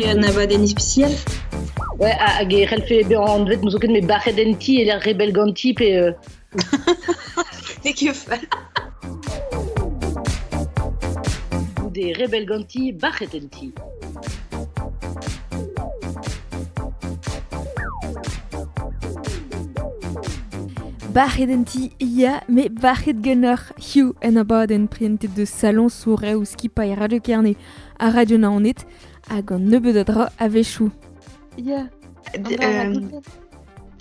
un abadenn ispisial. Ouais, hag e c'hellfe bezañ anvet n'ouzon ket met bac'het en ti e lec'h rebell ganti pe N'eo ket fall. Goude rebell ganti, bac'het en ti. Bac'het en ti, ya, met bac'het ganeoc'h hiziv en abadenn prientet deus saloñs sourreoù skipailh Radio Kerne ha Radio Naoned hag an nebeud a dra a-wechoù. Ya.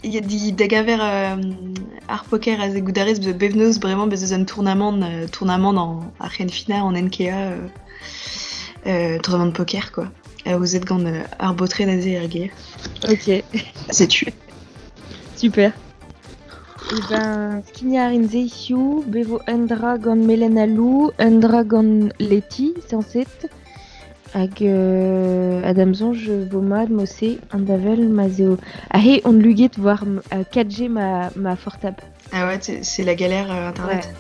Ya, di da gaver ar poker aze goudarez bevnoz bremañ bez eus un tournamant tournamant an ar c'henfinañ an NKA tournamant poker quoi. Aozet gant ar baotred aze er gêr. Ok. Setu. Super. Eh ben, skignañ a rin se hiziv, bet vo un dra gant Melen ha Lou, un dra gant Leti, sañset. Hag ha da'm soñj vo mat mod-se an davel ma'z eo aze on luget war 4G ma fortab. Ah ouais, c'est la galère internet. Ouais.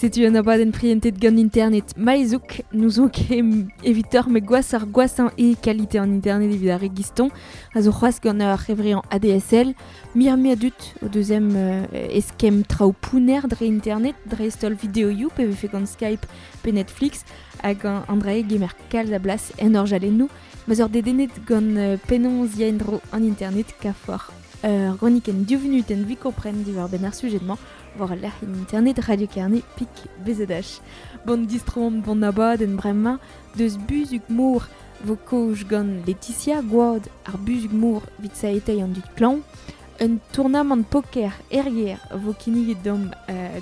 Setu un abadenn prientet gant internet Maïzouk, n'ouzon ket evitoc'h met gwashoc'h gwashañ eo kalite an internet evit ar re giston, a zo c'hoazh gant ur c'hevreañ ADSL, muioc'h-mui a dud o deus em eskemm traoù pounner dre internet, dreist-holl videoioù pe vefe gant Skype pe Netflix, hag an dra-se gemer kalz a blas en orjalennoù, ma'z oc'h dedennet gant penaos ya en-dro an internet kafoc'h ur gronikenn div vunutenn evit kompren diwar-benn ar sujed-mañ war al lec'hienn internet Radio Kerne pik BZH. Bon distroomp d'hon abadenn bremañ deus buzhug-mor vo kaoz gant Laetitia Gwad ar buzhug-mor evit saveteiñ an dud klañv. Un tournamant poker er gêr vo kinniget deomp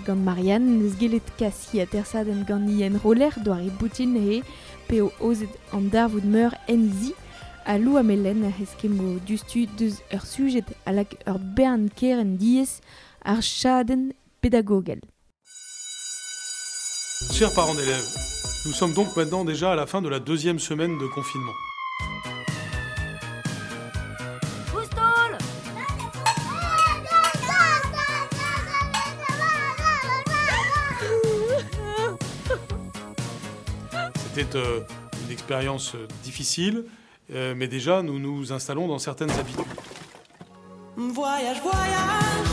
gant Marianne. N'eus gellet kas he atersadenn gant he enroller doare boutin he p'eo aozet an darvoud meur en he zi. Ha Lou ha Melen a eskemmo diouzhtu deus ur sujed a lak ur bern kerent diaes ar chadenn pedagogel. Chers parents d'élèves, nous sommes donc maintenant déjà à la fin de la deuxième semaine de confinement. C'était une expérience difficile, mais déjà nous nous installons dans certaines habitudes. Voyage, voyage,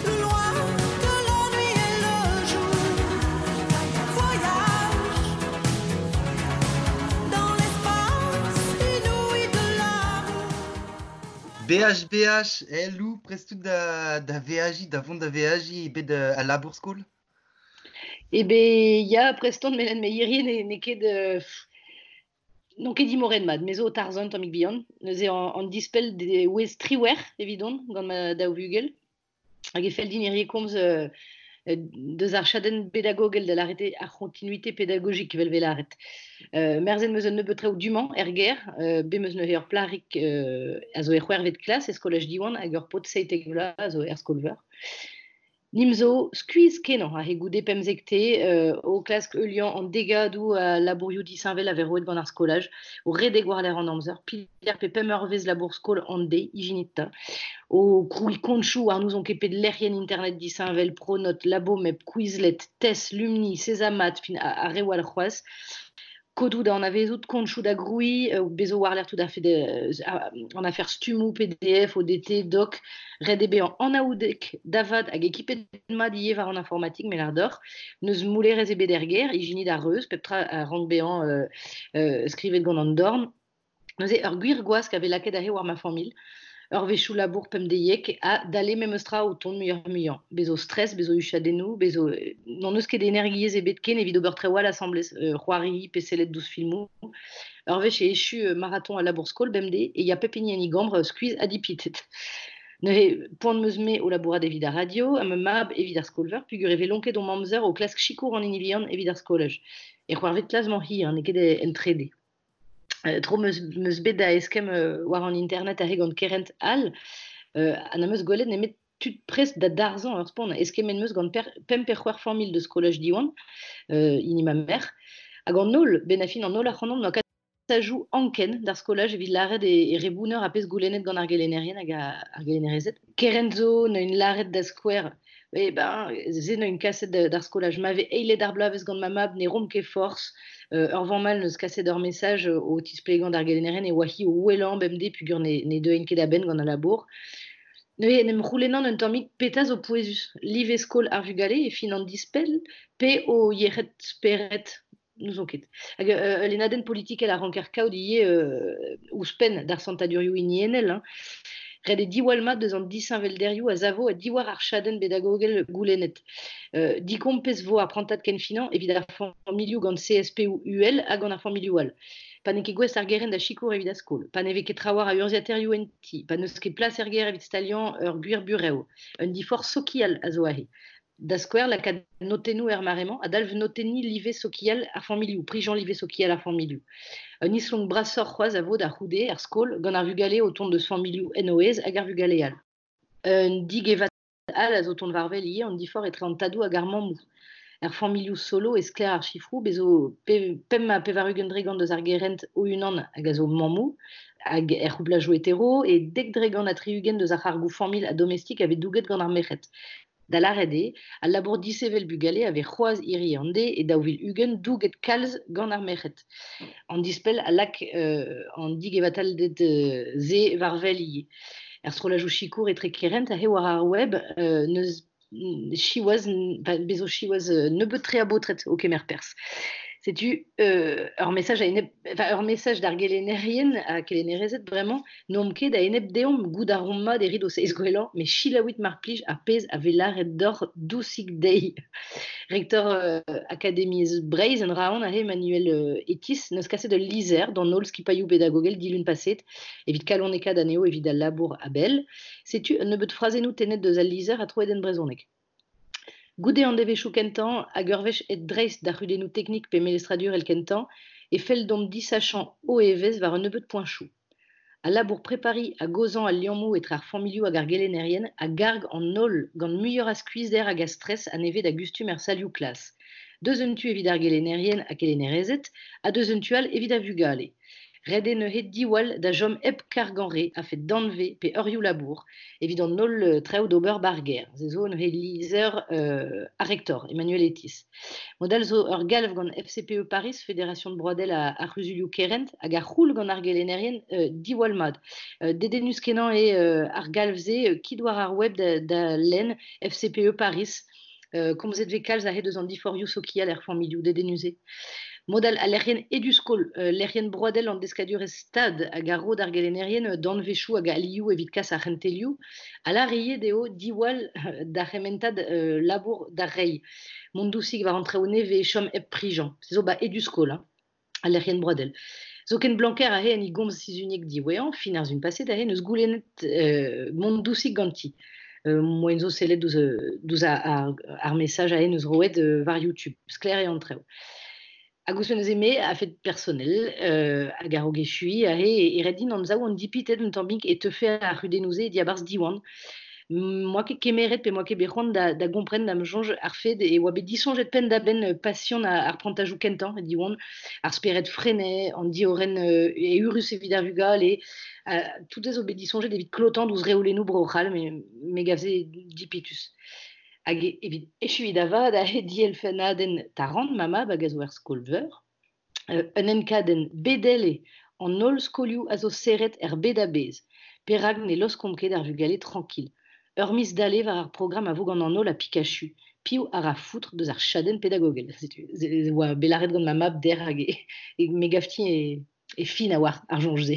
plus loin que la nuit et le jour. Voyage dans l'espace inouï de l'amour. BH, BH, eh Lou, prest out da veajiñ, da vont da veajiñ bet al labour skol? Eh ben, ya, prest on, met me hirie n'eo ket n'on ket imoret mat, me zo o tarzhañ un tammig bihan. Neuze an dispell de wezh triwec'h evidon gant ma daou vugel. Hag e fell din hirie komz deus ar chadenn pedagogel da lâret eo ar c'hontinuité pédagogique evel vez lâret. Merzet 'm eus un nebeud traoù du-mañ er gêr. Bet 'm eus neuze ur plac'hig a zo e c'hwec'hvet klas e skolaj Diwan hag ur paotr 17 vloaz a zo er skol-veur. Nim zo skuizh-kenañ aze goude pemzek-te o klask heuliañ an degadoù a labourioù disheñvel a vez roet gant ar skolaj, o redek war-lerc'h an amzer, peder pe pemp eurvezh labour-skol an deiz, ijinit 'ta, o krouiñ kontoù war n'ouzon ket pet lec'hienn internet disheñvel, Pronote, Labomep, Quizlet, TES, Lumni, Sesamat, fin ar reoù all c'hoazh. Kodoù da anavezout, kontoù da grouiñ, bezo war-lerc'h tout a-fet an afer stummoù, PDF, ODT, doc, ret eo bezañ anaoudek da vat hag ekipet mat ivez war an informatik, me lâr deoc'h. N'eus moulerezh ebet er gêr, ijinit ar reuz, pep tra a rank bezañ skrivet gant an dorn. Neuze ur gwir gwask a vez lakaet aze war ma familh. Ur wechoù labour pemdeiek ha dale memes tra o tont muioc'h-muiañ. Bez zo stress, bez zo huchadennoù, bez zo n'hon eus ket energiezh ebet ken evit ober traoù all asambles, c'hoari pe sellet douzh filmoù. Ur wech e echu marathon al labour-skol bemdez e ya pep hini en e gambr skuizh ha dipitet. Neuze, poan 'm eus-me o labourat evit ar radio ha ma mab evit ar skol-veur peogwir e vez lonket hon amzer o klask sikour an hini vihan evit ar skolaj. E c'hoarvez klas-mañ hir, n'eo ket en trede. Tro 'm eus bet da eskemm war an internet aze gant kerent all ha n'am eus gwelet nemet tud prest da darzhañ ur spont. Eskemmet 'm eus gant pemp pe c'hwec'h familh deus skolaj Diwan, hini ma merc'h, hag an holl, benn ar fin an holl ac'hanomp n'oa kasajoù anken d'ar skolaj evit lâret e re bounner ar pezh goulennet gant ar gelennerien hag ar gelennerezed. Kerent zo neuint lâret da skouer E ben, se n'eus kaset d'ar skolaj. Ma vez eilet ar bloavezh gant ma mab ne rom ket forzh. Ur vamm all neus kaset ur message o tisplegañ d'ar gelennerien e oa hi o ouelañ bemdez pugur ne deuent ket a-benn gant al labour. Neuze en em c'houlennan un tammig petra zo pouezus. Live skol ar vugale e fin an dispell pe o yec'hed spered n'ouzon ket. Hag ul lennadenn politikel a ranker kaout ivez ouzhpenn d'ar santadurioù hiniennel. Hein. Ret eo diwall mat deus an disheñvelderioù a savo ha diwar ar chadenn bedagogel goulennet. Dikompez vo ar prantad kenfinañ evit ar familhoù gant CSP ou UL hag gant ar familhoù all. Pa n'eo ket gouest ar gerent da sikour evit ar skol, pa ne vez ket trawalc'h a urzhiataerioù en ti, pa n'eus ket plas er gêr evit staliañ ur gwir burev. Un diforc'h sokial a zo aze. Da skouer, lakaat notennoù er mare-mañ a dalv notenniñ live sokial ar familhoù, prijañ live sokial ar familhoù. Un islonk brasoc'h c'hoazh a vo da c'houde er skol gant ar vugale o tont deus familhoù en o aez hag ar vugale all. Un digevat all a zo tont war-wel ivez, an diforc'h etre an tadoù hag ar mammoù. Er familhoù solo e sklaer ar sifroù, bez zo 85% deus ar gerent o-unan hag a zo mammoù, hag er c'houplajoù hetero, e 70% deus ar c'hargoù familh ha domestik a vez douget gant ar merc'hed. Da lâret eo, al labour disevel bugale a vez c'hoazh hiriv an deiz e 2020 douget kalz gant ar merc'hed. An dispell a lak an digevatalded se war-wel ivez. Er strollajoù sikour etre kerent aze war ar web n'eus siwazh, bezo siwazh nebeut-tre a baotred o kemer perzh. Setu ur message a-enep, enfin, ur message d'ar gelennerien ha kelennerezed bremañ, n'omp ket a-enep deomp goût a romp mat evit o seizh gwellañ, met selaouit mar plij ar pezh a vez lâret deoc'h dousik dezhi. Rektor Akademiezh Breizh en Raon aze Emmanuel Etis n'eus kaset ul lizher d'an holl skipailhoù pedagogel dilun paset evit kalonekaat anezho evit al labour a-bell. Setu un nebeud frazennoù tennet deus al lizher ha troet en brezhoneg. Goude an devezhioù kentañ hag ur wech aet dreist d'ar c'hudennoù teknik pe melestradurel kentañ e fell deomp disachañ o evezh war un nebeud poentoù. Al labour prepariñ hag aozañ al liammoù etre ar familhoù hag ar gelennerien a garg an holl gant muioc'h a skuizhder hag a stres a nevez da gustum er salioù klas. Deus un tu evit ar gelennerien ha kelennerezed ha deus un tu all evit ar vugale. Ret eo neuze diwall da chom hep kargañ re a-fet danvez pe eurioù labour evit an holl traoù d'ober ba'r gêr. Se zo neuze lizher ar rektor, Emmanuel Etis. Mod all zo ur galv gant FCPE Paris, Fédération Broadel ar c'huzulioù kerent, hag ar c'houl gant ar gelennerien diwall mat. Dedennus-kenañ eo ar galv-se kit war ar web da lenn FCPE Paris. Komzet vez kalz aze deus an diforc'hioù sokial er familhoù dedennus-se. Mod all al lec'hienn Eduskol, lec'hienn broadel an deskadurezh stad hag a ro d'ar gelennerien danvezioù hag alioù evit kas ar c'hentelioù, a lâr ivez dezho diwall d'ar c'hementad labour da reiñ. Mont dousik war an traoù nevez, chom hep prijañ. Se zo ba Eduskol, hein, al lec'hienn broadel. Zoken Blanquer aze en e gomz sizhuniek diwezhañ, fin ar sizhun paset aze, n'eus goulennet mont dousik ganti. Moaien zo sellet douzh ar message aze n'eus roet war YouTube. Sklaer eo an traoù. Hag ouzhpenn neuze me, a-fet personel, hag a-raok echuiñ aze, e ret din anzav on dipitet un tammig e teufe ar c'hudennoù-se diabarzh Diwan. M'oa ket kemeret pe m'oa ket bet c'hoant da gompren da'm soñj ar fed e oa bet disoñjet penn-da-benn pasion ar prantajoù kentañ e Diwan, ar spered Freinet, an diorren eürus evit ar vugale, tout se zo bet disoñjet evit klotañ douzh reolennoù Bro-C'hall, me gav se dipitus. Hag evit echuiñ da vat aze dielfennadenn Taran, ma mab hag a zo er skol-veur, un enkadenn bedel eo an holl skolioù a zo serret er bed a-bezh. Perak ne laoskomp ket ar vugale trankil. Ur miz dale war ar programm a vo gant an holl ha Pikachu. Piv a ra foutre deus ar chadenn pedagogel. Setu, se oa bet lâret gant ma mab dec'h hag e me gavti e fin a oar ar soñj-se.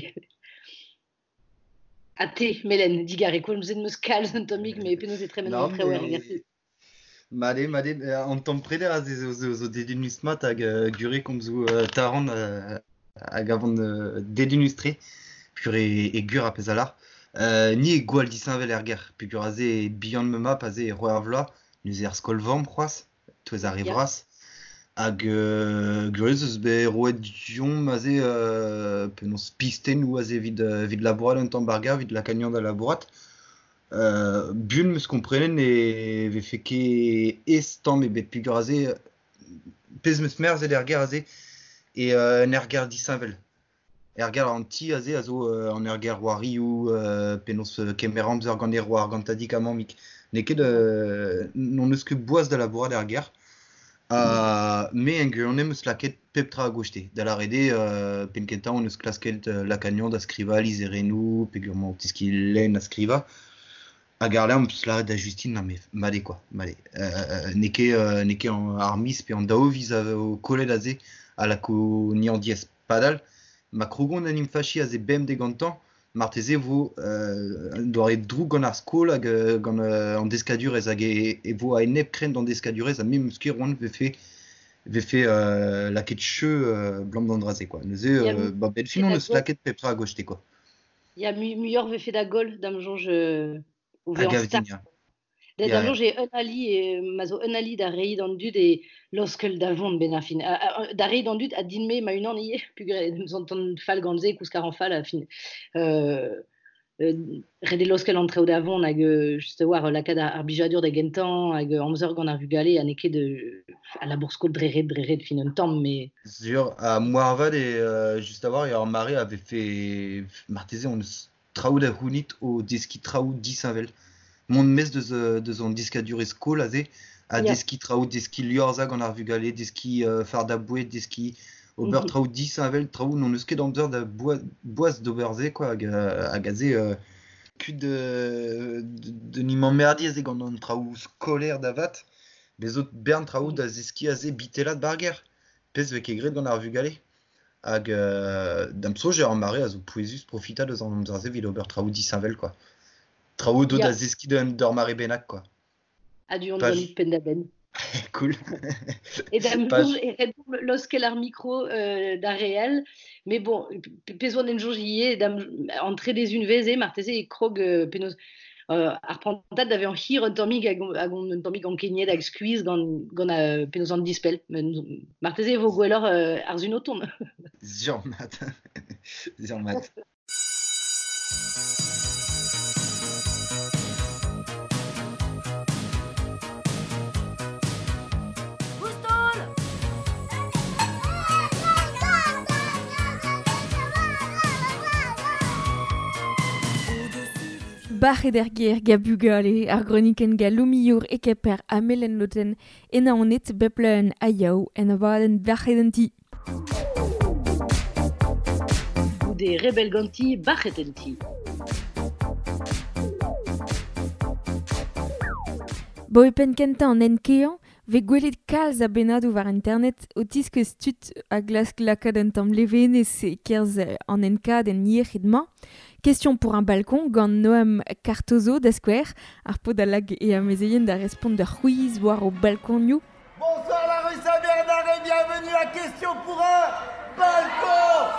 Ha te, Melen, digarez, komzet 'm eus kalz un tammig, mais penaos e tremen an traoù er gêr. Made, made, an tamm preder aze zo dedennus mat hag gure komzoù Taran hag avon dedennus-tre, pur e gur ar pezh a lâr. Ni e gwall disheñvel er gêr, peogwir aze bihan ma mab aze e roer vloaz, neuze er skol-vamm c'hoazh, touez ar re vras. Hag gurius eus bet roet deomp aze penaos pistennoù aze evit labourat un tamm bar gêr, evit lakaat da labourat. Buan 'm eus komprenet ne vefe ket aes tamm ebet peogwir aze pezh 'm eus merzet er gêr aze e un aergelc'h disheñvel. Aergelc'h an ti aze a zo an aergelc'h c'hoarioù, penaos kemer amzer gant e c'hoar, gant tadig ha mammig. N'eo ket n'hon eus ket boaz da labourat er gêr. Ha me en gwirionez 'm eus lakaet pep tra a-goste. Da lâret eo penn-kentañ hon eus klasket lakaat anezhañ da skrivañ lizherennoù peogwir emañ o teskiñ lenn ha skrivañ. Hag àr-lerc'h 'm eus lâret da Justine na met mat eo quoi, mat eo. N'eo ket n'eo ket ar miz pe an daou viz a vo kollet aze a lako anezhañ diaes. Padal, ma krogont en em fachiñ aze bemdez gantañ, marteze e vo un doare droug gant ar skol hag gant an deskadurezh hag e vo a-enep-krenn d'an deskadurezh ha me 'm eus ket c'hoant vefe vefe lakaet cheu 'blam d'an dra-se quoi. Neuze ba 'benn fin on eus lakaet pep tra a-goste quoi. Ya, muioc'h vefe da goll da'm soñj o A vezañ gav start. din, ya. Da soñj eo un ali, ma zo un ali da reiñ d'an dud e laoskel da vont 'benn ar fin. Da reiñ d'an dud ha din-me ma-unan ivez, peogwir em santan fall gant se, kousk a ran fall a fin. Ret eo laoskel an traoù da vont hag just a-walc'h lakaat ar blijadur da gentañ hag amzer gant ar vugale ha n'eo ket al labour-skol dre ret, dre ret fin un tamm, mais... Sur, ha moarvat eo just a-walc'h eo ar mare a vefe marteze hon eus traoù da c'hounit o deskiñ traoù disheñvel. Mont maez deus an deskadurezh skol aze, ha deskiñ traoù, deskiñ liorzhañ gant ar vugale, deskiñ fardañ boued, deskiñ ober traoù disheñvel, traoù n'hon eus ket amzer da boaz d'ober se quoi, hag aze kuit de n'em emmerdiñ aze gant an traoù skolaer da vat, bez zo bern traoù da zeskiñ aze bitellat 'bar gêr, pezh 'vez ket graet gant ar vugale. Hag da'm soñj eo ar mare a zo pouezus profitañ deus an amzer-se evit ober traoù disheñvel quoi. Traoù do da zeskiñ d'ur mare bennak quoi. A-du on ganit penn-da-benn. Cool. E da'm soñj e ret laoskel ar mikro d'ar re all. Mais bon, pezh oan en soñj ivez, da'm an trede unvezh eo marteze e krog penaos ar prantad da vezañ hir un tammig hag on un tammig ankeniet hag skuizh gant penaos an dispell. Marteze e vo gwelloc'h ar sun o tont. Sur mat. Sur mat. Bac'het er gêr ga bugale, ar gronikenn ga Lomiour e Kemper ha Melen-Lotenn e Naoned bep leun ha yaou en abadenn Bac'het en ti. Goude rebell ganti, bac'het en ti. Bo e penn kentañ an enkeañ 'vez gwelet kalz a bennadoù war internet o tiskouez tud a glask lakaat un tamm levenez e-kerzh an enkadenn yec'hed-mañ. Question pour un balcon gant Noam Cartozo da skouer, ar paotr a lak e amezeien da respont d'ur c'hwiz war o balkonioù. Bonsoir la rue Saint-Bernard et bienvenue à Question pour un balcon.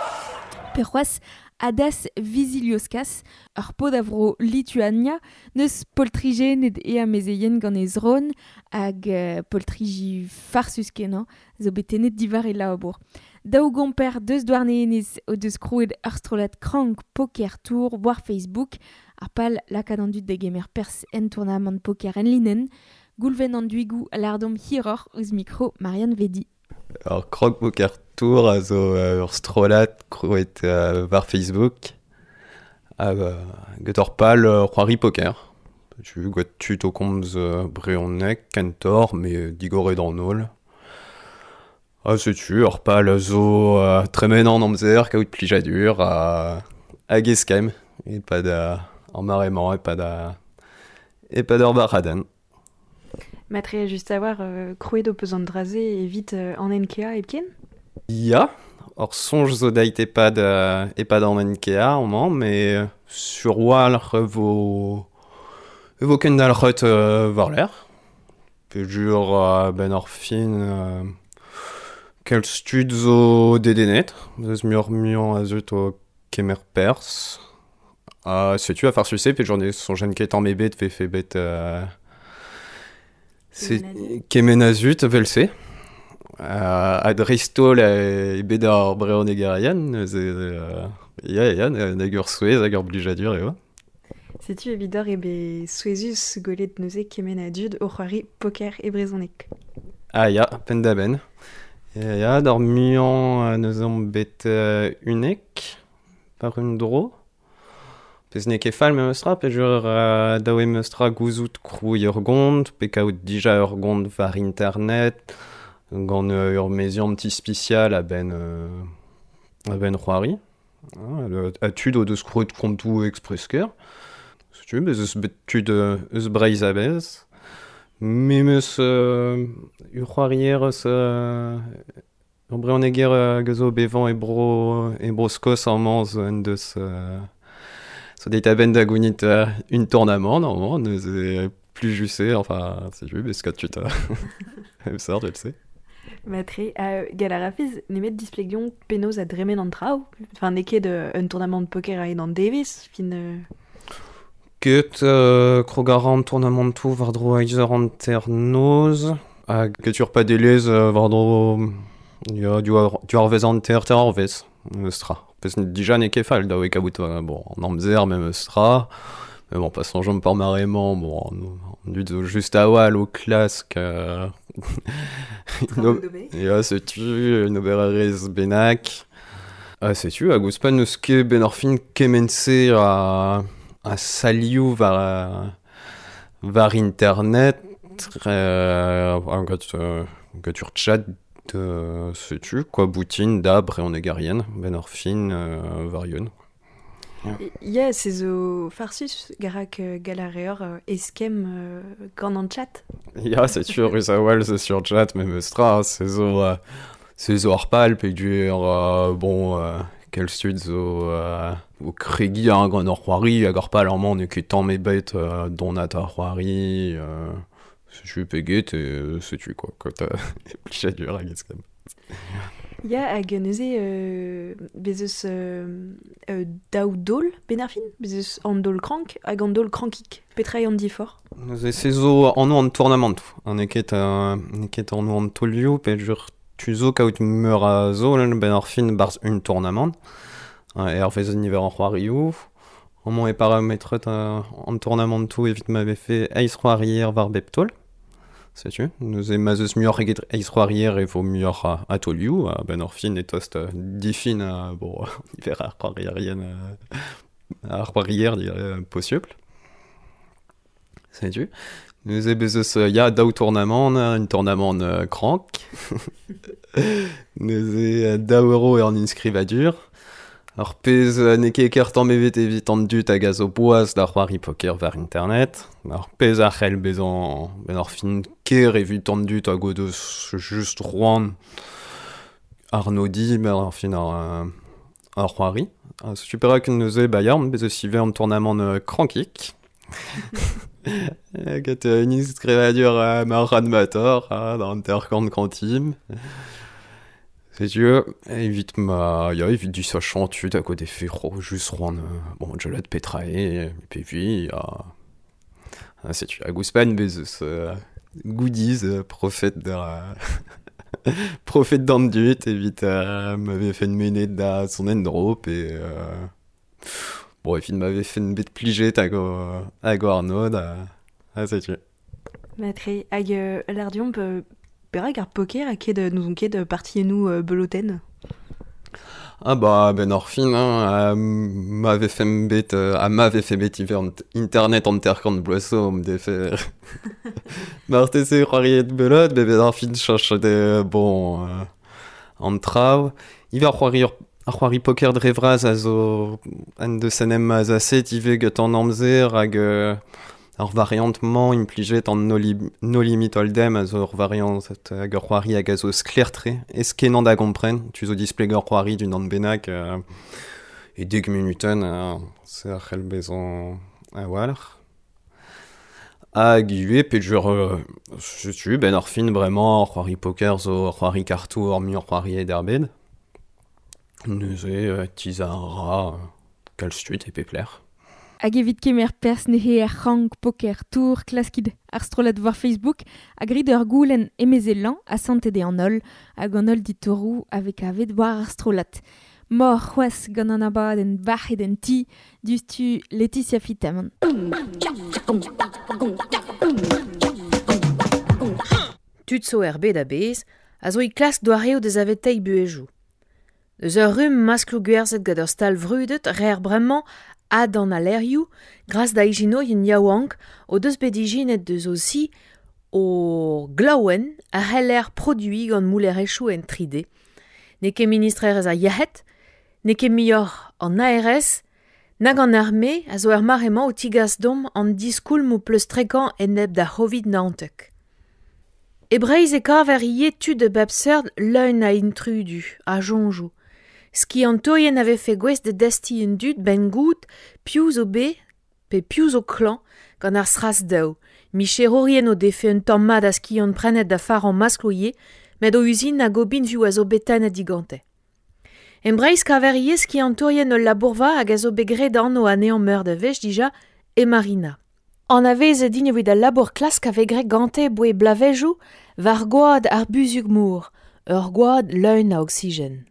Pe c'hoazh Adas Vizilioskas, ur paotr a vro Lituania, n'eus poltrigennet e amezeien gant e zron hag poltriji farsus-kenañ zo bet tennet diwar e labour. Daou gomper deus Douarnenez o deus krouet ur strollad krank Poker Tour war Facebook, ar pal lakaat an dud da gemer perzh en tournamant poker enlinenn. Goulven an Duigou a lâr deomp hiroc'h ouzh mikro Marianne Vedi. Ur Krank Poker Tour a zo ur strollad krouet war Facebook hag get ur pal c'hoari poker. Tu gant tud o komz brezhoneg kentoc'h met digoret an holl. Ha setu ur pal a zo tremen an amzer, kaout plijadur hag eskemm e-pad ar mare-mañ, e-pad ur bac'hadenn. Matre just a-walc'h krouet ho peus an dra-se evit an NKA hepken? Ya, ur soñj zo deit e-pad e-pad an NKA amañ, met sur 'walc'h e vo e vo kendalc'het war-lerc'h. Peogwir a-benn ar fin kalz tud zo dedennet, eus muioc'h-muiañ a zeu o kemer perzh. Ha setu a farsus-se peogwir ne soñjen ket tamm ebet 'vefe bet kement a zud evel-se. Ha dreist-holl eo bet ar brezhonegerien neuze ya ya nag ur souezh hag ur blijadur eo. Setu evidoc'h eo bet souezhus gwelet neuze kement a dud o c'hoari poker e brezhoneg. Ah ya, penn-da-benn. Ya, d'ar muiañ neuze omp bet unnek par un dro. Pez n'eo ket fall memestra, pe jur daou eo memestra gouzout krouiñ ur gont, pe kaout dija ur gont war internet, gant ur meziant ispisial a-benn c'hoari. Ha tud o deus krouet kontoù express-ker. Setu, bez eus bet tud eus Breizh a-bezh. Memes ur c'hoarier eus ur brezhoneger hag a zo bevañ e bro Skos amañ zo en deus zo deuet a-benn da gounit un tournamant amañ, neuze plijus-se, enfin, setu, bez kat tud a sort evel-se. Matre, gall a rafez nemet displegiñ penaos a dremen an traoù? Enfin, n'eo ket un tournamant poker a-hed an devezh, fin... Ket, krog a ra an tournamantoù war-dro eizh eur hanternoz, hag ket ur padelezh war-dro ya, div eurvezh hanter, teir eurvezh, memes tra. Pezh dija n'eo ket fall, dav eo kaout bon, an amzer memes tra. Mais bon, pa soñjomp ar mare-mañ, bon, an dud zo just a-walc'h o klask ya, setu un obererezh bennak. Ha setu, hag ouzhpenn n'eus ket benn ar fin kement-se a salioù war internet, gant ur chat setu, quoi, boutin da brezhonegerien, benn ar fin war Yun. Ya, se zo farsus, garak gall a reor eskemm gant an chat. Ya, setu ruz a-walc'h zo sur chat memes tra, se zo ar pal peogwir bon, kalz tud zo o kregiñ hein, gant ur c'hoari hag ar pal amañ n'eo ket tamm ebet donat ar c'hoari, setu pe get, setu quoi, quand plijadur hag eskemm. Ya, hag neuze bez eus daou daol benn ar fin, bez eus an daol krank hag an daol krankik. Petra eo an diforc'h? Neuze se zo anv an tournamant. N'eo ket n'eo ket anv an taolioù, peogwir tu zo kaout meur a zaol benn ar fin barzh un tournamant. Hervez niver ar c'hoarioù. Amañ e parametret an tournamantoù evit ma vefe eizh c'hoarier war bep taol. Setu, neuze ma'z eus muioc'h eget eizh c'hoarier e vo muioc'h a taolioù, a-benn ar fin e tost difin bon, niver ar c'hoarierien ar c'hoarier posupl. Setu. Neuze bez eus ya daou tournamant, un tournamant krank. Neuze daou euro eo an inskrivadur. Ar pezh n'eo ket ker tamm ebet evit an dud hag a zo boas da c'hoari poker war internet. Ar pezh a c'hell bezañ benn ar fin ker evit an dud hag o deus just c'hoant arnodiñ benn ar fin ar c'hoari. Setu perak neuze ba ya, bez eus ivez an tournamant krankik. Get un inskrivadur marc'had-matoc'h da hanter-kant kantim. Setu evit ma ya evit disachañ tud hag o defe just c'hoant bon gellet petra eo pe vi ha setu hag ouzhpenn bez eus goodies profet da profet d'an dud evit ma vefen mennet da son en-dro pe bon evit ma vefen bet plijet hag o arnod ha setu. Matre hag lâr deomp perak ar poker a ket n'ouzon ket partiennoù belotenn? Ah bah benn ar fin hein, ma vefen bet ha ma vefe bet ivez internet hanter-kant bloaz zo am defe marteze c'hoariet belot, met benn ar fin cheñchet eo bon an traoù. Ivez ar c'hoari ar c'hoari poker dre vras a zo en deus en em azaset ivez gant an amzer hag ar variant-mañ implijet an No Limit Hold'em a zo ur variant hag ur c'hoari hag a zo sklaer-tre, aes-kenañ da gompren. Tu zo displegañ ur c'hoari d'unan bennak e dek munutenn, se a c'hell bezañ a-walc'h. Hag ivez peogwir setu benn ar fin bremañ ar c'hoari poker zo ur c'hoari kartoù ar muiañ c'hoariet er bed. Neuze tizhañ a ra kalz tud e pep lec'h. Hag evit kemer perzh neuze er c'hrank poker tour klaskit ar strollad war Facebook ha grit ur goulenn emezelañ asantet eo an holl hag an holl ditouroù a vez kavet war ar strollad. Mor c'hoazh gant an abadenn bac'het en ti diouzhtu Laetitia Fitamant. Tud zo er bed a-bezh a zo e klask doareoù da saveteiñ buhezioù. Eus ur rumm maskloù gwerzhet gant ur stal vrudet reer bremañ Adan alerioù, gras da ijinourien yaouank o deus bet ijinet deus o si o glaouen a c'heller produiñ gant moulerezhioù en 3D. N'eo ket ministrerezh ar yec'hed, n'eo ket muioc'h an ARS, nag an arme a zo er mare-mañ o tigas domp an diskoulmoù pleustrekañ enep d'ar C'hovid-19. E Breizh e kaver ivez tud a bep seurt leun a intrudu, a soñjoù. Skiantourien a vefe gouest da destiñ an dud 'benn goût piv zo bet pe piv zo klañv gant ar SRAS-daou. Micherourien o defe un tamm mat a skiant prenet da farañ maskloù ivez, met o uzin hag o binvioù a zo bet tennet digante. En Breizh kaver ivez skiantourien ul labourva hag a zo bet graet anv anezhañ meur da wech dija, e Marina. Anavezet int evit al labour klask a vez graet gante 'boe bloavezhioù war gwad ar buzhug-mor, ur gwad leun a oksigen.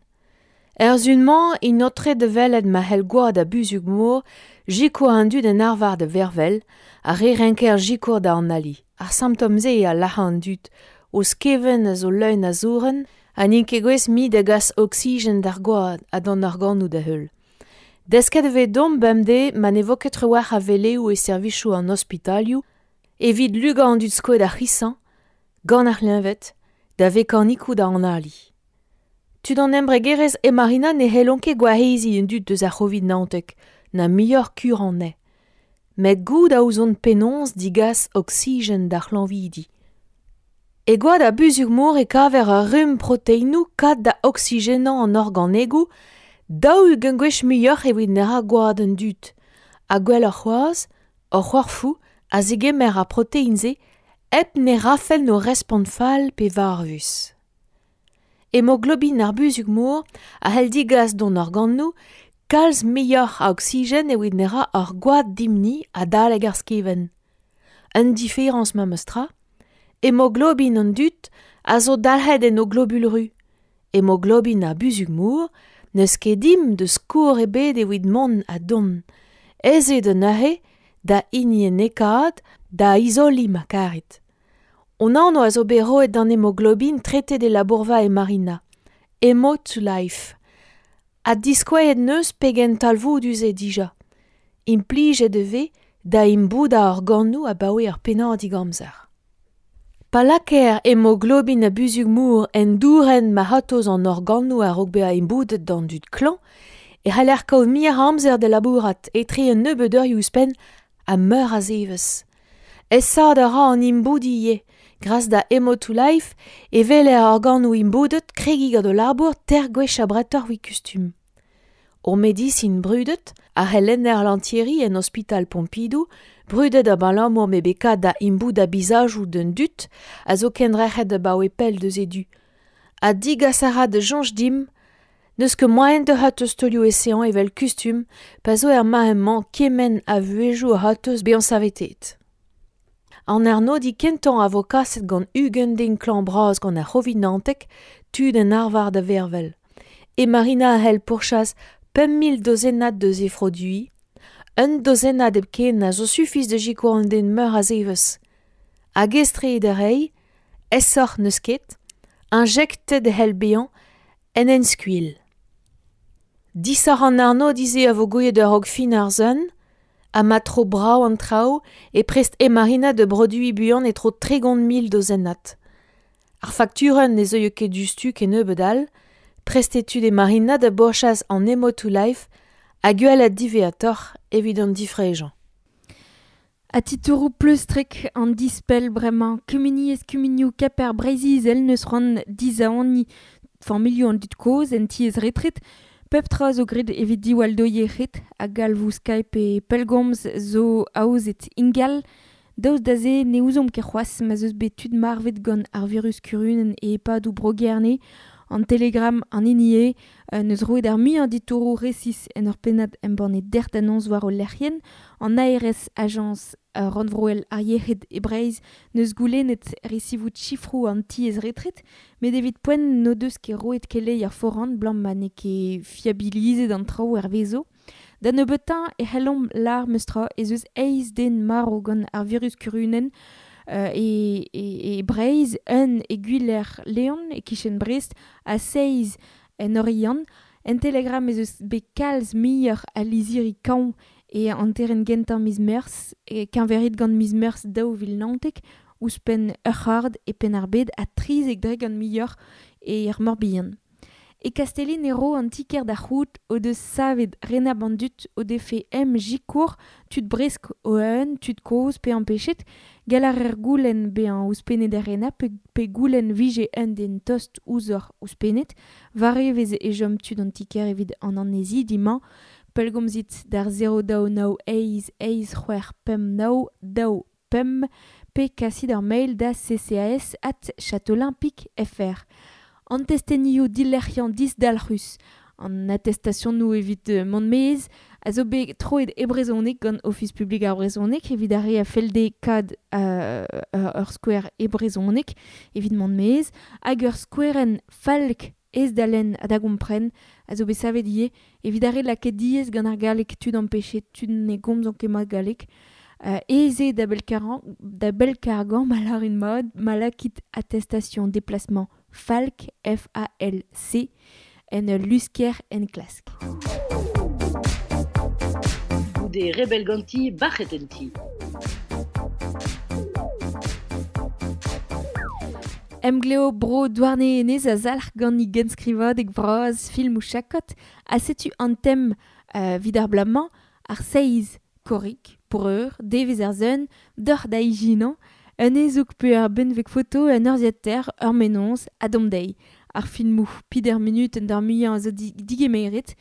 Er sizhun-mañ int aotreet da welet ma c'hell gwad ar buzhug-mor sikour an dud en arvar da vervel, ar re renker sikour da analiñ. Ar simptom-se eo a lac'ha an dud, o skevent a zo leun a zourenn ha n'int ket gouest mui da gas oksigen d'ar gwad ha d'an organoù da heul. Desket e vez deomp bemdez ma ne vo ket trawalc'h a weleoù e servijoù an ospitalioù evit lugañ an dud skoet ar c'hisañ, gant ar c'hleñved, da vekanikoù da analiñ. Tud an embregerezh e Marina ne c'hellont ket gwareziñ an dud deus ar C'hovid-19, na muioc'h kur anezhe. Met goût a ouzont penaos digas oksigen d'ar c'hlañvidi. E gwad ar buzhug-mor e kaver ur rumm proteinoù kat da oksigenañ an organegoù, 40 gwech muioc'h evit ne ra gwad an dud. Ha gwelloc'h c'hoazh, hor c'horfoù a zegemer ar protein-se hep ne rafent o respont fall pe varvus. Hemoglobin ar buzhug-mor a c'hell digas d'hon organoù kalz muioc'h a oksigen evit ne ra hor gwad dimp-ni adalek ar skevent. Un diferañs memes tra, hemoglobin an dud a zo dalc'het en o globul ru. Hemoglobin ar buzhug-mor n'eus ket dimp deus skourr ebet evit mont ha dont. Aes eo da neuze da hiniennekaat, da izoliñ ma karit. Hon anv a zo bet roet d'an hemoglobin tretet e labourva e Marina. Hemo to life. Ha diskouezet 'neus pegen talvoudus eo dija. Implijet e vez da imboudañ organoù abaoe ur pennadig amzer. Pa lakaer hemoglobin a buzhug-mor en dourenn ma c'hortoz an organoù a-raok bezañ imboudet d'an dud klañv e c'haller kaout muioc'h a amzer da labourat etre un nebeud eurioù ouzhpenn ha meur a zevezh. Aesaat a ra an imboudiñ ivez. Gras da Hemo to Life e weler organoù imboudet kregiñ gant o labour teir gwech abretoc'h evit kustum. Ur medisin brudet, ar c'helenner Lantieri en ospital Pompidou, brudet abalamour m'eo bet kat da imboudañ bizajoù d'an dud a zo kendrec'het abaoe pell deus e du. Ha digas a ra da soñj dimp n'eus ket moaien da c'hortoz taolioù eseañ evel kustum pa zo er mare-mañ kement a vuhezioù a c'hortoz bezañ saveteet. An arnodiñ kentañ a vo kaset gant 20 den klañv-bras gant ar C'hovid-19, tud en arvar da vervel. E Marina a c'hell pourchas 5000 dozennad deus he froduiñ. Un dozennad hepken a zo sufis da sikour an den meur a zevezh. Hag aes-tre eo da reiñ, aesoc'h n'eus ket, injektet e c'hell bezañ en enskuilh. Disoc'h an arnodiñ-se a vo gouiet a-raok fin ar sun, ha ma tro brav an traoù e prest Emarina da broduiñ buan e-tro 30,000 dozennad. Ar fakturenn ne zeuio ket diouzhtu kennebeut all, prest eo tud Emarina da bourchas an Emo to Life ha gwelet diwezhatoc'h evit an difrejañ. Ha titouroù pleustrek an dispell bremañ. Kumuniezh kumunioù Kemper Breizh-Izel n'eus c'hoant dizaoniñ familhoù an dud kozh en tiez retret. Pep tra zo graet evit diwall d'o yec'hed ha galvoù Skype e pellgomz zo aozet ingal. Daoust da se ne ouzomp ket c'hoazh ma'z eus bet tud marvet gant ar virus kurunenn e EHPADoù Bro-Gerne. An Telegram an hini eo n'eus roet ar muiañ ditouroù resis en ur pennad embannet dec'h da noz war o lec'hienn. An ARS, Ajañs rannvroel ar yec'hed e Breizh, n'eus goulennet resivout sifroù an tiez retret, met evit poent n'o deus ket roet keleier foran 'blam ma n'eo ket fiabilizet an traoù hervezo. Da nebeutañ e c'hellomp lâr meus-tra ez eus eizh den marv gant ar virus kurunenn e, e, e Breizh, un e Gwiler-Leon e-kichen Brest ha seizh en Oriant. En Telegram ez eus bet kalz muioc'h a lizhiri kañv E hanterenn gentañ miz Meurzh, e keñverit gant miz Meurzh 2019, ouzhpenn ur c'hard e Penn-ar-Bed ha 13% muioc'h e er Morbihan. E Kastellin e ro an ti-kêr da c'hoût o deus savet renabl an dud o defe em sikour tud bresk o eeun, tud kozh pe ampechet, gall a reer goulenn bezañ ouzhpennet er renabl pe, pe goulenn vije un den tost ouzhoc'h ouzhpennet, war evezh e chom tud an ti-kêr evit an annezidi-mañ, pellgomzit d'ar 0 2 9 8 8 6 5 9 2 5 pe kasit ur mail da ccas@châteaulin.fr. An testenioù dilec'hiañ disdalc'hus, an atestasionoù evit mont maez, a zo bet troet e brezhoneg gant Ofis publik ar brezhoneg evit ar re a fell dezhe kad ur skouer e brezhoneg evit mont maez, hag ur skouerenn falk aes da lenn ha da gompren a zo bet savet ivez evit ar re lakaet diaes gant ar galleg tud ampechet, tud ne gomzont ket mat galleg. Aes eo da bellkargañ ma lârin mat, ma lakit attestation déplacement FALC, F-A-L-C, en ul lusker enklask. Goude rebell ganti, bac'het en ti. Emglev Bro Douarnenez a zalc'h gant e genskrivadeg vras filmoù chakot ha setu an tem evit ar bloaz-mañ, ar seizh korrig, breur, devezh ar sun, deoc'h da ijinañ, un hezoug pe ur benveg foto, un urzhiataer, ur mennozh, ha domp dezhi. Ar filmoù peder munutenn d'ar muiañ a zo digemeret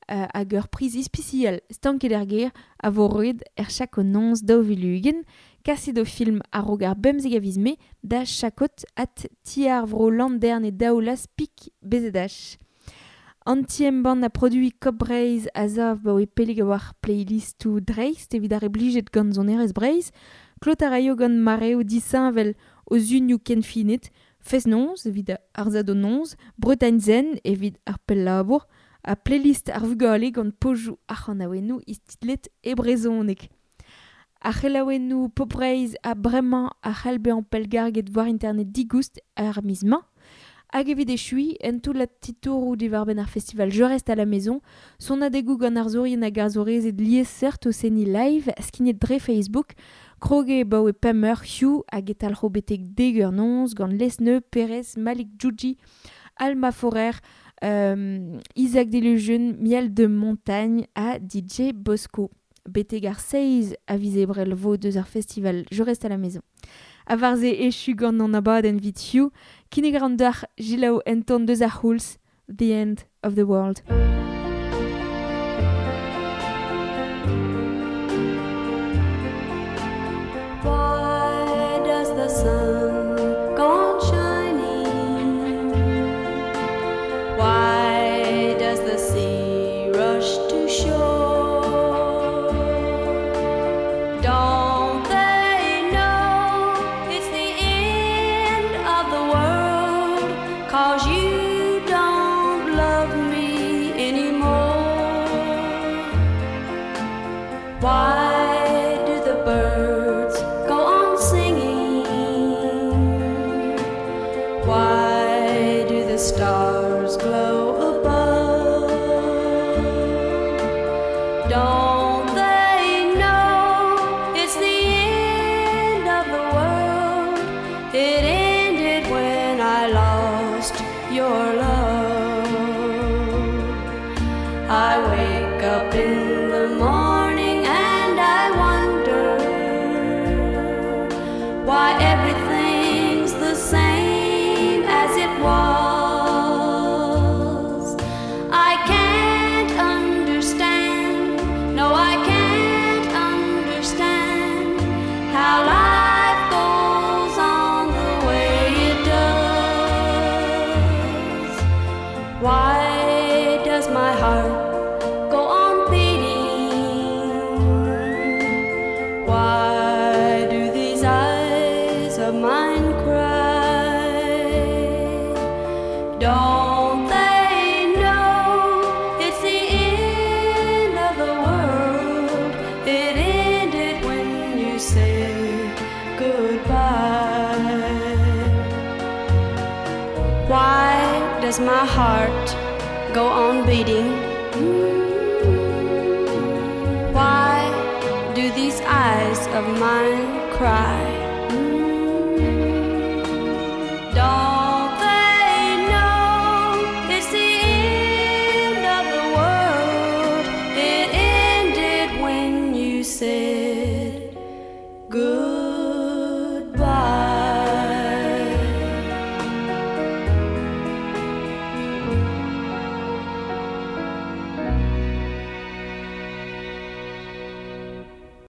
hag ur priz ispisial stanket er gêr a vo roet er chakot-noz 2020. Kasit ho film a-raok ar 15 a viz Mae da chakot@tiarvrolanderne-daoulas.bzh. An ti-embann a produiñ Kop Breizh a sav 'baoe pellik a-walc'h playlistoù dreist evit ar re blijet gant sonerezh Breizh. Klot a raio gant mareoù disheñvel o zunioù kenfinet, fest-noz evit ar sadorn-noz, Bretagne Zen evit ar pell-labour, ha playlist ar vugale gant pozioù ar c'hanaouennoù istitlet e brezhoneg. Ar c'helaouennoù Pop Breizh ha bremañ a c'hall bezañ pellgarget war internet digoust ar miz-mañ. Hag evit echuiñ, un toullad titouroù diwar-benn ar festival Je reste à la maison, sonadegoù gant arzourien hag arzourezed liesseurt o seniñ live, skignet dre Facebook, krog eo 'baoe pemp eur hiziv hag e talc'ho betek dek eur noz gant Lesneu, Perez, Malik Djoudji, Alma Forer, Isaac Delusion, Miel de Montagne ha DJ Bosco. Betek ar seizh a viz Ebrel 'vo deus ar festival Je reste à la maison. Ha war-se echu gant an abadenn 'vit hiziv, kinnig a ran deoc'h selaou un tamm deus ar c'houlz, The End of the World. Why does the sun go on shining? Why does the sea rush to shore? Don't they know it's the end of the world? 'Cause you don't love me anymore. Why do the birds go on singing? Why do the stars glow above? Don't they know it's the end of the world? It ended when I lost your love. I wake up in the morning and I wonder why everything's the same as it was. I can't understand, no, I can't understand how life goes on the way it does. Why does my heart go on beating? Why do these eyes of mine cry? Don't they know it's the end of the world? It ended when you said goodbye. Why does my heart go on beating? Why of mine cry. Don't they know it's the end of the world? It ended when you said goodbye.